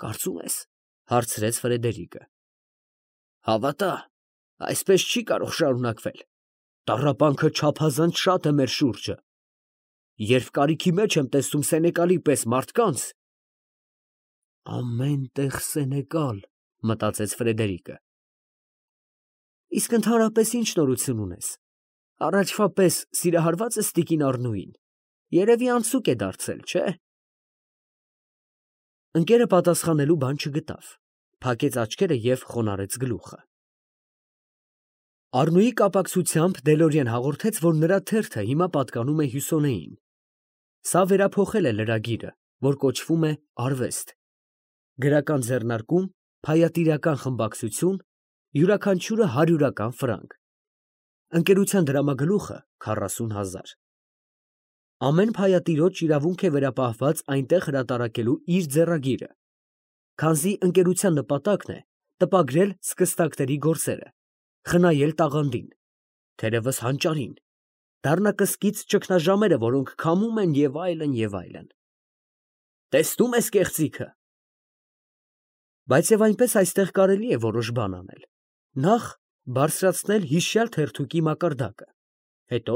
Կարծում ես, հարցրեց Ֆրեդերիկը։ Հավատա, այսպես չի կարող շարունակվել։ Տառապանքը չափազանց շատ է մեր շուրջը։ Երբ կարիքի մեջ եմ տեսնում Սենեկալի պես մարդկանց… Ամեն տեղ Սենեկալ, մտածեց Ֆրեդերիկը։ Իսկ ընդհանրապես ինչ նորություն ունես։ Առաջվա պես սիրահարված ես տիկին Առնուին։ Երևի անցուկ է դարձել, չէ՞։ Ընկերը պատասխանելու բան չգտավ, փակեց աչքերը և խոնարհեց գլուխը։ Առնուի կապակցությամբ Դելորիեն հաղորդեց, որ նրա թերթը հիմա պատկանում է Հյուսոնեին։ Սա վերափոխել է լրագիրը, որ կոչվում է Արվեստ։ Գրական ձեռնարկում, փայատիրական խմբակցություն, յուրաքանչյուրը 100 ֆրանկ։ Ընկերության դրամագլուխը 40,000։ Ամեն փայատիրոջ իրավունք է վերապահված այնտեղ հրատարակելու իր ձեռագիրը, քանզի ընկերության նպատակն է տպագրել սկստակների գործերը, խնայել տաղանդին, թերևս հանճարին, դառնակսկիծ ճգնաժամերը, որոնք քամում են և այլն, և այլն։ Տեսնում ես կեղծիքը։ Բայց և այնպես այստեղ կարելի է որոշ բան անել. նախ բարձրացնել հիշյալ թերթուկի մակարդակը, հետո,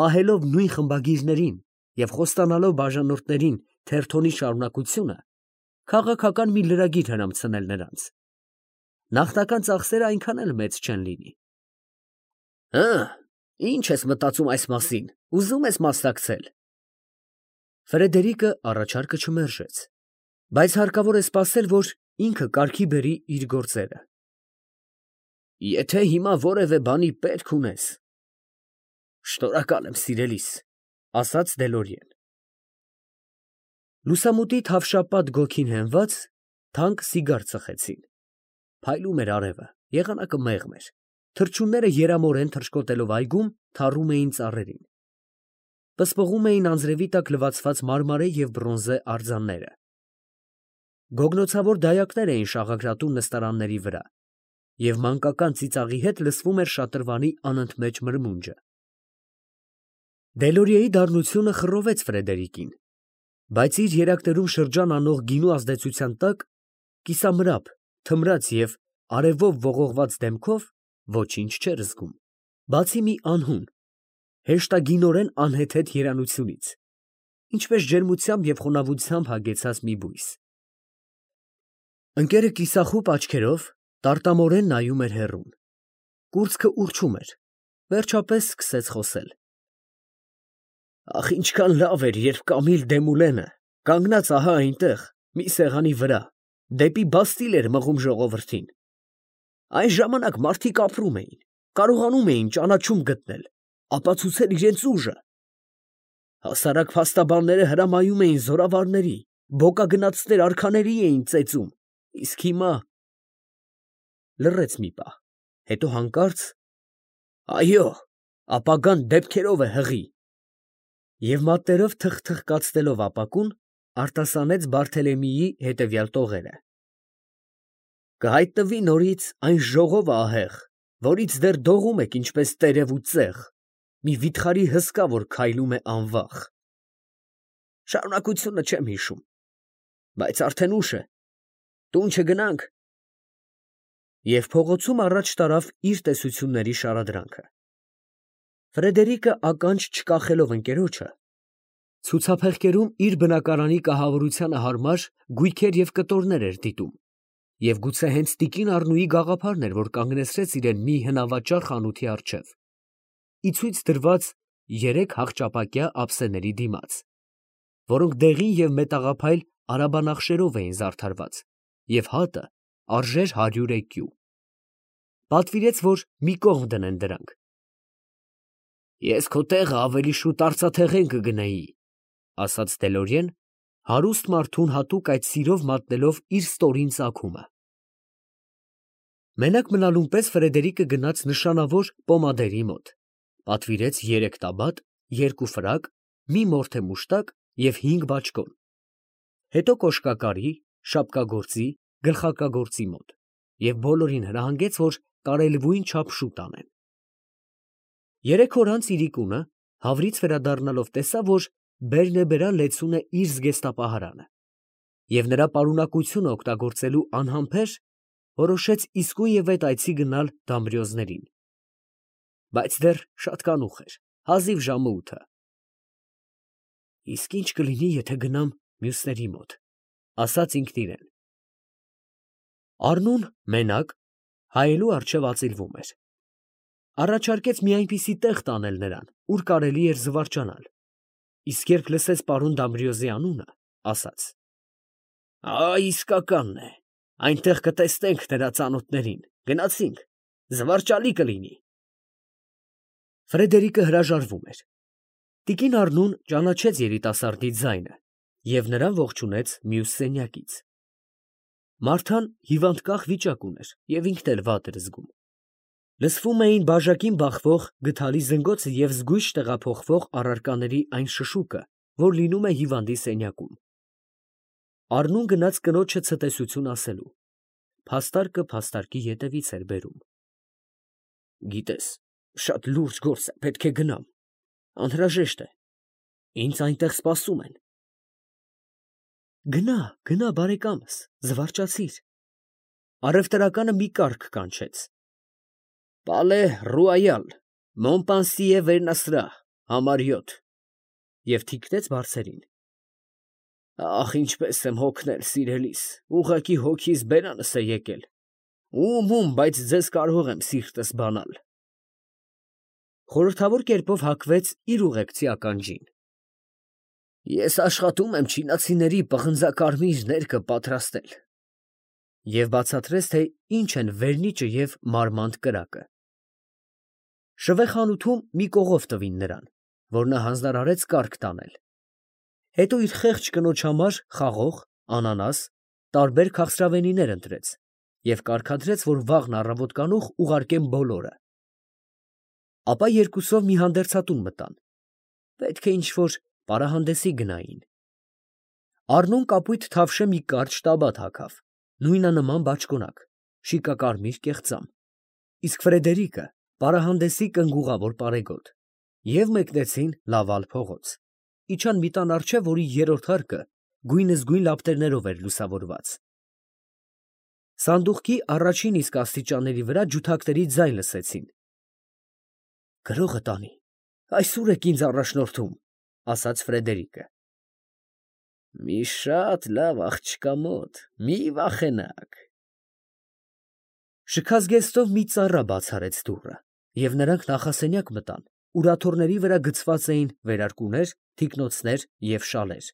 պահելով նույն խմբագիրներին և խոստանալով բաժանորդներին թերթոնի շարունակությունը, քաղաքական մի լրագիր հրամցնել նրանց։ Նախնական ծախսերը այնքան էլ մեծ չեն լինի։ Ի՞նչ ես մտածում այս մասին, ուզում ես մասնակցել։ Ֆրեդերիկը առաջարկը չմերժեց, բայց հարկավոր է սպասել, որ ինքը կարգի բերի իր գործերը։ Եթե հիմա որևէ բանի պետք ունես… Շնորհակալ եմ, սիրելիս, ասաց Դելորիեն։ Լուսամուտի թավշապատ գոգին հենված, թանկ սիգար ծխեցին։ Փայլում էր արևը, եղանակը մեղմ էր, թռչունները երամորեն թռչկոտելով այգում, թառում էին ծառերին։ Պսպղում էին անձրևի տակ լվացված մարմարե և բրոնզե արձանները։ Գոգնոցավոր դայակներ էին շաղակրատում նստարանների վրա, և մանկական ծիծաղի հետ լսվում էր շատրվանի անընդմեջ մրմունջը։ Դելորիեի դառնությունը խռովեց Ֆրեդերիկին, բայց իր երակներում շրջան անող գինու ազդեցության տակ, կիսամրապ, թմրած և արևով ողողված դեմքով ոչինչ չէր զգում, բացի մի անհուն, հեշտագինորեն անհեթեթ երանությունից, ինչպես ջերմությամբ և խոնավությամբ հագեցած մի բույս։ Ընկերը կիսախուպ աչքերով տարտամորեն նայում էր հեռուն։ Կուրծքը ուռչում էր, վերջապես սկսեց խոսել. Ախ, ինչքան լավ էր, երբ Կամիլ Դեմուլենը, կանգնած ահա այնտեղ, մի սեղանի վրա, դեպի Բաստիլ էր մղում ժողովրդին։ Այն ժամանակ մարդիկ ապրում էին, կարողանում էին ճանաչում գտնել, ապացուցել իրենց ուժը։ Հասարակ փաստաբանները հրամայում էին զորավարների, բոկագնացներ արքաների էին ծեծում, իսկ հիմա… Լռեց մի պահ, հետո հանկարծ. Այո, ապագան դեպքերով է հղի… Եվ մատներով թխթխկացնելով ապակուն, արտասանեց Բարթելեմեի հետևյալ տողերը. Կհայտնվի նորից այն ժողովը ահեղ, որից դեռ դողում եք ինչպես տերև ու ծեղ, մի վիթխարի հսկա, որ քայլում է անվախ… Շարունակությունը չեմ հիշում, բայց արդեն ուշ է, տուն չգնա՞նք… Եվ փողոցում առաջ տարավ իր տեսությունների շարադրանքը։ Ֆրեդերիկը ականջ չկախելով ընկերոջը, ցուցափեղկերում իր բնակարանի կահավորությանը հարմար գույքեր և կտորներ էր դիտում, և գուցե հենց տիկին Առնուի գաղափարն էր, որ կանգնեցրեց իրեն մի հնավաճառ խանութի առջև, ի ցույց դրված 3 հաղճապակյա ափսեների դիմաց, որոնք դեղին և մետաղափայլ արաբանախշերով էին զարդարված, և հատը արժեր 100 էկյու։ Պատվիրեց, որ մի կողմ դնեն դրանք։ Ես քո տեղը ավելի շուտ արծաթեղեն կգնեի, ասաց Դելորիեն, հարուստ մարդուն հատուկ այդ սիրով մատնելով իր ստորին ծագումը։ Մենակ մնալուն պես Ֆրեդերիկը գնաց նշանավոր պոմադերի մոտ, պատվիրեց 3 տաբատ, 2 ֆրակ, մի մորթե մուշտակ և 5 բաճկոն, հետո կոշկակարի, շապկագործի, գլխարկագործի մոտ և բոլորին հրահանգեց, որ կարելույն չափ շուտ անեն։ 3 օր անց Իրիկունը, հավրից վերադառնալով, տեսավ, որ բերնեբերա լեցուն է իր զգեստապահարանը։ և նրա պարունակությունը օգտագործելու անհամբեր, որոշեց իսկույն ետ այցի գնալ Դամբրիոզներին. բայց դեռ շատ կանուխ էր, հազիվ ժամը 8-ը։ Իսկ ի՞նչ կլինի, եթե գնամ մյուսների մոտ, ասաց ինքն իրան։ Առնուն մենակ հայելու առջև ածիլվում էր։ Առաջարկեց մի այնպիսի տեղ տանել նրան, ուր կարելի էր զվարճանալ, իսկ երբ լսեց պարոն Դամբրիոզի անունը, ասաց. իսկականն է, այնտեղ կտեսնենք նրա ծանոթներին, գնացինք, զվարճալի կլինի։ Ֆրեդերիկը հրաժարվում էր։ Տիկին Առնուն ճանաչեց երիտասարդի ձայնը և նրան ողջունեց մյուս սենյակից։ Մարթան հիվանդկախ վիճակ ուներ և ինքն էլ վատ էր զգում։ Լսվում էին բաժակին բախվող գդալի զնգոցը և զգույշ տեղափոխվող առարկաների այն շշուկը, որ լինում է հիվանդի սենյակում։ Առնուն գնաց կնոջը ցտեսություն ասելու։ Փաստարկը փաստարկի ետևից էր բերում։ Գիտես, շատ լուրջ գործ է, պետք է գնամ, անհրաժեշտ է, ինձ այնտեղ սպասում են։ Գնա, բարեկամս, զվարճացիր։ Առևտրականը մի կառք կանչեց. Պալե Ռուայալ, Մոնպանսիե վերնասրահ, համար 7 և թիկնեց բարձերին։ Ախ, ինչպես եմ հոգնել, սիրելիս, ուղղակի հոգիս բերանս է եկել։ Ում, բայց ձեզ կարող եմ սիրտս բանալ։ Խորհրդավոր կերպով հագվեց իր ուղեկցի ականջին։ Ես աշխատում եմ չինացիների պղնձակարմիր ներկը պատրաստել։ Եվ բացատրեց, թե ինչ են վերնիճը և մարմանդ կրակը։ Շվեխանութում մի կողով տվին նրան, որ նա հանձնարարեց կառք տանել։ Հետո իր խեղճ կնոջ համար խաղող, անանաս, տարբեր քաղցրավենիներ ընտրեց և կարգադրեց, որ վաղն առավոտ կանուխ ուղարկեն բոլորը։ Ապա երկուսով մի հանդերձատուն մտան։ Պետք է ինչ֊որ պարահանդեսի գնային։ Առնուն կապույտ թավշե մի կարճ տաբատ հագավ, նույնանման բաճկոնակ, շիկակարմիր կեղծամ, իսկ Ֆրեդերիկը պարահանդեսի կնգուղավոր պարեգոտ, և մեկնեցին Լավալ փողոց, իջան մի տան առջև, որի երրորդ հարկը գույնզգույն լապտերներով էր լուսավորված։ Սանդուղքի առաջին իսկ աստիճանների վրա ջութակների ձայն լսեցին։ Գրողը տանի, այսուր եք ինձ առաջնորդում, ասաց Ֆրեդերիկը։ Մի շատ լավ աղջկա մոտ, մի վախենաք։ Շքազգեստով մի ծառա բաց արեց դուռը, և նրանք նախասենյակ մտան, ուր աթոռների վրա գցված էին վերարկուներ, թիկնոցներ և շալեր։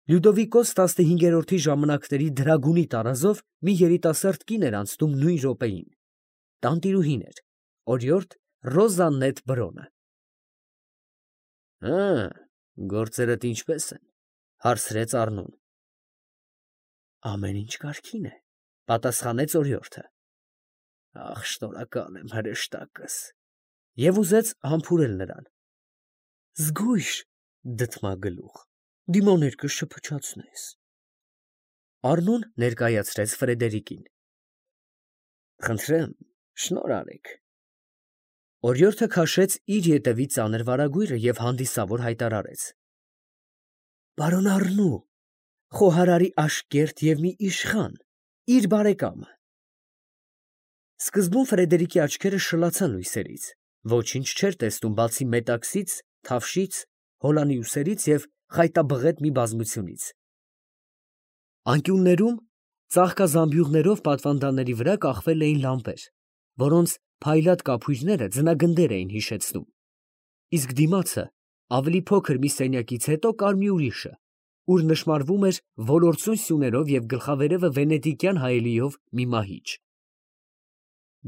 Լյուդովիկոս 15-րդի ժամանակների դրագունի տարազով մի երիտասարդ կին էր անցնում նույն րոպեին։ Տանտիրուհին էր, օրիորդ Ռոզաննետ Բրոնը։ Գործերդ ինչպե՞ս են, հարցրեց Առնուն։ Ամեն ինչ կարգին է, պատասխանեց օրիորդը։ Ախ, շնորհակալ եմ, հրեշտակս, և ուզեց համբուրել նրան։ Զգույշ, դդմագլուխ, դիմաներկը շփչացնես։ Առնուն ներկայացրեց Ֆրեդերիկին։ Խնդրեմ, շնորհ արեք։ Օրիորդը քաշեց իր ետևի ծանր վարագույրը և հանդիսավոր հայտարարեց. Պարոն Առնու, խոհարարի աշկերտ և մի իշխան, իր բարեկամը։ Սկզբում Ֆրեդերիկի աչքերը շլացան լույսերից, ոչինչ չէր տեսնում, բացի մետաքսից, թավշից, հոլանի ուսերից և խայտաբղետ մի բազմությունից։ Անկյուններում ծաղկազամբյուղներով պատվանդանների վրա կախվել էին լամպեր, որոնց փայլատ կափույրները ձնագնդեր էին հիշեցնում, իսկ դիմացը ավելի փոքր մի սենյակից հետո կար մի ուրիշը, ուր նշմարվում էր ոլործուն սյուներով և գլխավերևը վենետիկյան հայելիով մի մահիճ։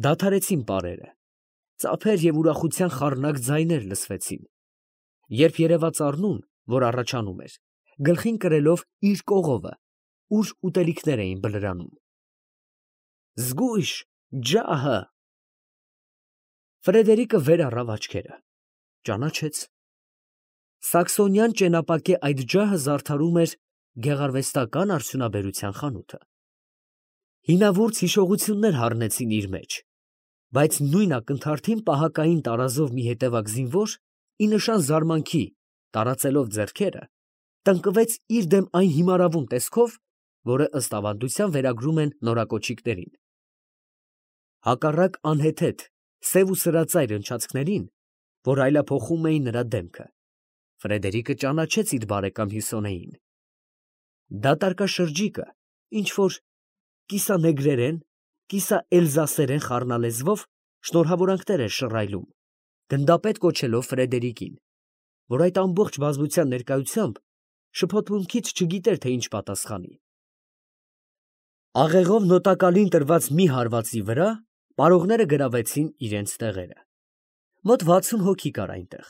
Դադարեցին պարերը, ծափեր և ուրախության խառնակ ձայներ լսվեցին, երբ երևաց Առնուն, որ առաջանում էր, գլխին կրելով իր կողովը, ուր ուտելիքներ էին բլրանում։ Զգույշ, ջահը։ Ֆրեդերիկը վեր առավ աչքերը, ճանաչեց։ Սաքսոնյան ճենապակե այդ ջահը զարդարում էր գեղարվեստական արդյունաբերության խանութը։ Հինավուրց հիշողություններ հառնեցին իր մեջ, բայց նույն ակնթարթին պահակային տարազով մի հետևակ զինվոր, ի նշան զարմանքի տարածելով ձեռքերը, տնկվեց իր դեմ այն հիմարավուն տեսքով, որը ըստ ավանդության վերագրում են նորակոչիկներին։ Հակառակ անհեթեթ, սև ու սրածայր ընչացքներին, որ այլափոխում էին նրա դեմքը, Ֆրեդերիկը ճանաչեց իր բարեկամ Հյուսոնեին։ Դատարկաշրջիկը ինչ-որ կիսանեգրերեն, կիսաէլզասերեն խառնալեզվով շնորհավորանքներ էր շռայլում, գնդապետ կոչելով Ֆրեդերիկին, որ այդ ամբողջ բազմության ներկայությամբ շփոթմունքից չգիտեր, թե ինչ պատասխանի։ Աղեղով նոտակալին տրված մի հարվածի վրա պարողները գրավեցին իրենց տեղերը։ Մոտ 60 հոգի կար այնտեղ։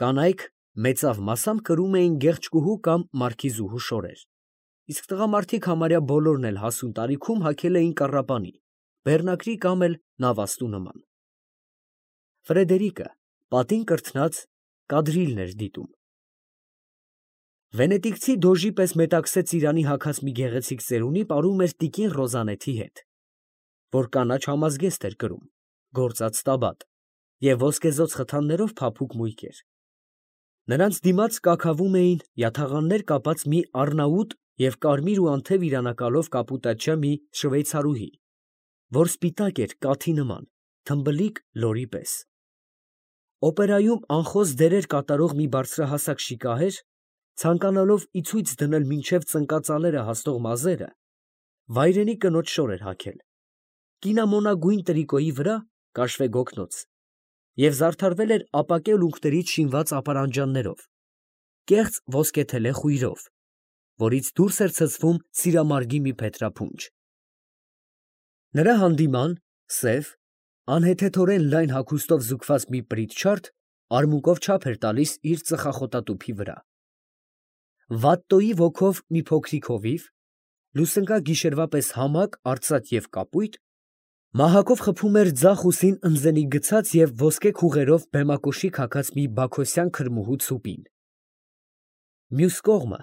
Կանայք մեծավ մասամբ կրում էին գեղեցկուհու կամ մարքիզուհու շորեր, իսկ տղամարդիկ համարյա բոլորն էլ հասուն տարիքում հագել էին կառապանի, բեռնակրի կամ էլ նավաստու նման։ Ֆրեդերիկը պատին կրթնած կադրիլն էր դիտում։ Վենետիկցի դոժի պես մետաքսե ծիրանի հագած մի գեղեցիկ ծերունի պարում էր տիկին Ռոզանեթի հետ, որ կանաչ համազգեստ էր կրում, գործած տաբատ և ոսկեզօծ խթաններով փափուկ մույկեր։ Նրանց դիմաց կաքավում էին յաթաղաններ կապած մի առնաուտ և կարմիր ու անթև իրանակալով կապուտաչյա մի շվեյցարուհի, որ սպիտակ էր կաթի նման, թմբլիկ լորի պես։ Օպերայում անխոս դերեր կատարող մի բարձրահասակ շիկահեր, ցանկանալով ի ցույց դնել մինչև ծնկածալերը հասնող մազերը, վայրենի կնոջ շոր էր հագել, կինամոնագույն տրիկոյի վրա կաշվե գոգնոց և զարդարվել էր ապակե ուլունքներից շինված ապարանջաններով, կեղծ ոսկեթելե խույրով, որից դուրս էր ցցվում սիրամարգի մի փետրափունջ։ Նրա հանդիման սև, անհեթեթորեն լայն հագուստով զուգված մի պրիտչարդ արմունկով չափ էր տալիս իր ծխախոտատուփի վրա։ Վատտոյի ոգով մի փոքրիկ հովիվ, լուսնկա գիշերվա պես համակ, արծաթ և կապույտ, մահակով խփում էր ձախ ուսին ընձենի գցած և ոսկե քուղերով բեմակոշիկ հագած մի բաքոսյան քրմուհու ցուպին։ Մյուս կողմը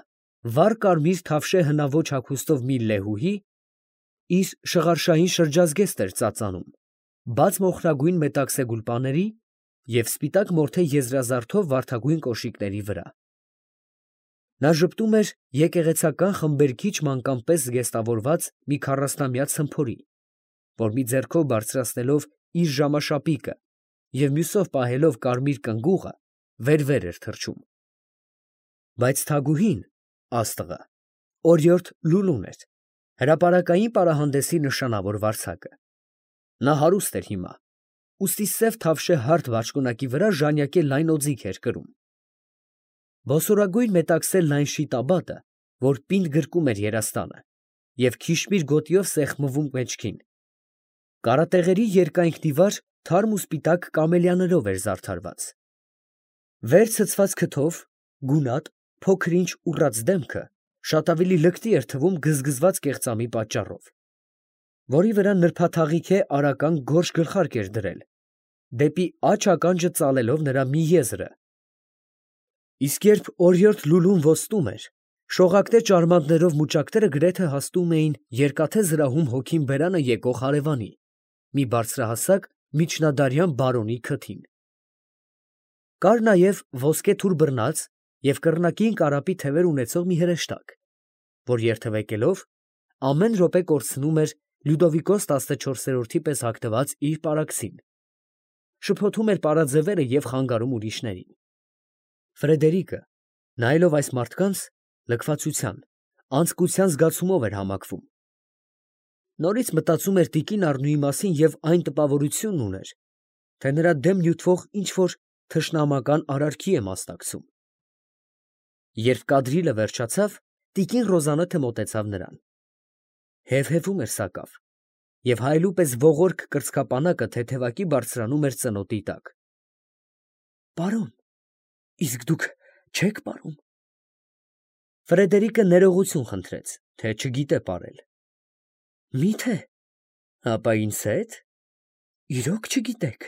վառ կարմիր թավշե հնաոճ հագուստով մի լեհուհի իր շղարշային շրջազգեստ էր ծածանում, բաց մոխրագույն մետաքսե գուլպաների և սպիտակ մորթե եզրազարդով վարդագույն կոշիկների վրա։ Նա ժպտում էր եկեղեցական խմբերգիչ մանկան պես զգեստավորված մի 40-ամյա ցմփորի, որ մի ձեռքով բարձրացնելով իր ժամաշապիկը և մյուսով պահելով կարմիր կնգուղը, վեր-վեր էր թռչում։ Բայց թագուհին, աստղը, օրիորդ Լուլուն էր, հրապարակային պարահանդեսի նշանավոր վարձակը։ Նա հարուստ էր հիմա, ուստի սև թավշե հարթ բաճկոնակի վրա ժանյակե լայն օձիք էր կրում։ Ոսորագույն մետաքսե լայն շիտաբատը, որ պինդ գրկում էր երաստանը և քիշմիր գոտիով սեղմվում մեջքին, կարատեղերի երկայնքդիվար թարմ ու սպիտակ կամելիաներով էր զարդարված։ Վեր ցցված քթով, գունատ, փոքր-ինչ ուռած դեմքը շատ ավելի լկտի էր թվում գզգզված կեղծամի պատճառով, որի վրա նրբաթաղիքե արական գորշ գլխարկ էր դրել, դեպի աջ ականջը ծալելով նրա մի եզրը։ Իսկ երբ օրիորդ Լուլուն ոստում էր, շողակտե ճարմաններով մուճակները գրեթե հասնում էին երկաթե զրահում հոգին բերանը եկող հարևանի, մի բարձրահասակ միջնադարյան բարոնի քթին։ Կար նաև ոսկե թուր բռնած և կռնակին կարապի թևեր ունեցող մի հրեշտակ, որ երթևեկելով ամեն րոպե կորցնում էր Լյուդովիկոս 14-րդի պես հագնված իր պարակսին, շփոթում էր պարաձևերը և խանգարում ուրիշներին։ Ֆրեդերիկը, նայելով այս մարդկանց, լքվածության, անձկության զգացումով էր համակվում։ Նորից մտածում էր տիկին Առնուի մասին և այն տպավորությունն ուներ, թե նրա դեմ նյութվող ինչ֊որ թշնամական արարքի է մասնակցում։ Երբ կադրիլը վերջացավ, տիկին Ռոզաննեթը մոտեցավ նրան։ Հևհևում էր սակավ, և հայելու պես ողորկ կրծքապանակը թեթևակի բարձրանում էր ծնոտի տակ։ Պարոն, իսկ դուք չե՞ք պարում։ Ֆրեդերիկը ներողություն խնդրեց, թե չգիտե պարել։ Մի՞թե։ Ապա ինձ հետ։ Իրոք չգիտեք։